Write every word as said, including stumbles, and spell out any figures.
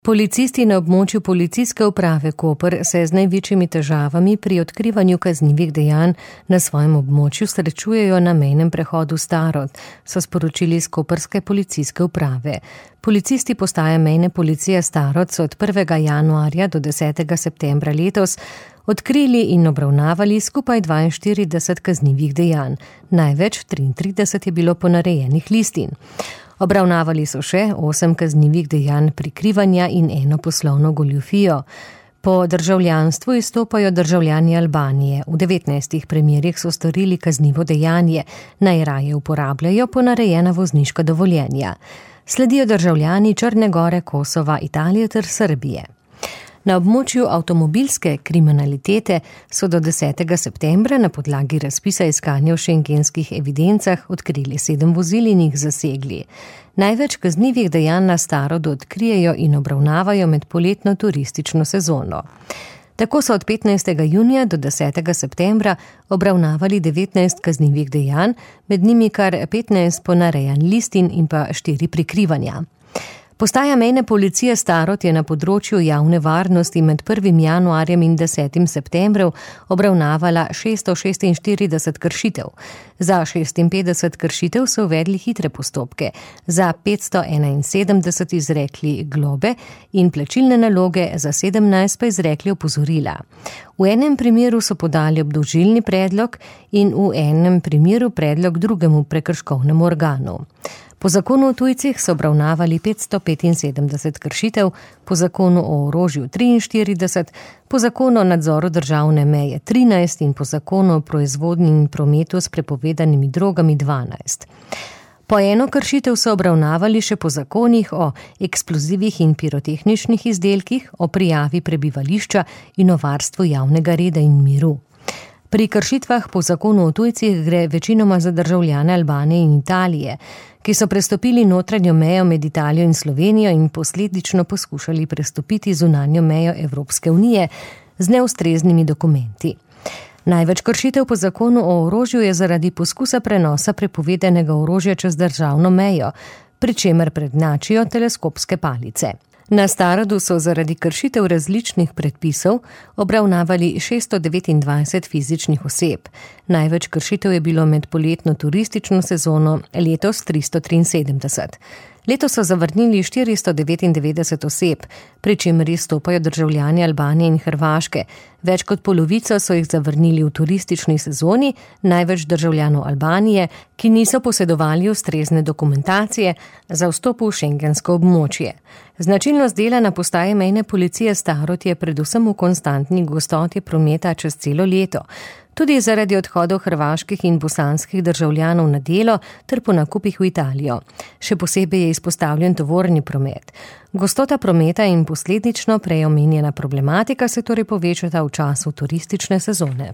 Policisti na območju Policijske uprave Koper se z največjimi težavami pri odkrivanju kaznivih dejanj na svojem območju srečujejo na mejnem prehodu Starod, so sporočili iz koprske policijske uprave. Policisti postaje mejne policije Starod so od prvega januarja do desetega septembra letos odkrili in obravnavali skupaj dvainštirideset kaznivih dejanj. Največ triintrideset je bilo ponarejenih listin. Obravnavali so še osem kaznivih dejanj prikrivanja in eno poslovno goljufijo. Po državljanstvu izstopajo državljani Albanije. V devetnajstih primerih so storili kaznivo dejanje, najraje uporabljajo ponarejena vozniška dovoljenja. Sledijo državljani Črne Gore, Kosova, Italije ter Srbije. Na območju avtomobilske kriminalitete so do desetega septembra na podlagi razpisa iskanja v šengenskih evidencah odkrili sedem vozil in jih zasegli. Največ kaznivih dejanj na Starodu odkrijejo in obravnavajo med poletno turistično sezono. Tako so od petnajstega junija do desetega septembra obravnavali devetnajst kaznivih dejanj, med njimi kar petnajst ponarejanj listin in pa štiri prikrivanja. Postaja mejne policije Starod je na področju javne varnosti med prvim januarjem in desetim septembrom obravnavala šeststo šestinštirideset kršitev. Za šestinpetdeset kršitev so uvedli hitre postopke, za petsto enainsedemdeset izrekli globe in plačilne naloge, za sedemnajst pa izrekli opozorila. V enem primeru so podali obdolžilni predlog in v enem primeru predlog drugemu prekrškovnemu organu. Po zakonu o tujcih so obravnavali petsto petinsedemdeset kršitev, po zakonu o orožju triinštirideset, po zakonu o nadzoru državne meje trinajst in po zakonu o proizvodnji in prometu s prepovedanimi drogami dvanajst. Po eno kršitev so obravnavali še po zakonih o eksplozivih in pirotehničnih izdelkih, o prijavi prebivališča in o varstvu javnega reda in miru. Pri kršitvah po zakonu o tujcih gre večinoma za državljane Albanije in Italije, ki so prestopili notranjo mejo med Italijo in Slovenijo in posledično poskušali prestopiti zunanjo mejo Evropske unije z neustreznimi dokumenti. Največ kršitev po zakonu o orožju je zaradi poskusa prenosa prepovedanega orožja čez državno mejo, pri čemer prednjačijo teleskopske palice. Na Starodu so zaradi kršitev različnih predpisov obravnavali šeststo devetindvajset fizičnih oseb. Največ kršitev je bilo med poletno turistično sezono, letos tristo triinsedemdeset. Letos so zavrnili štiristo devetindevetdeset oseb, pri čemer izstopajo državljani Albanije in Hrvaške. Več kot polovico so jih zavrnili v turistični sezoni, največ državljanov Albanije, ki niso posedovali ustrezne dokumentacije za vstop v šengensko območje. Značilnost dela na postaji mejne policije Starod je predvsem v konstantni gostoti prometa čez celo leto. Tudi zaradi odhodov hrvaških in bosanskih državljanov na delo ter po nakupih v Italijo. Še posebej je izpostavljen tovorni promet. Gostota prometa in posledično prej omenjena problematika se torej povečata v času turistične sezone.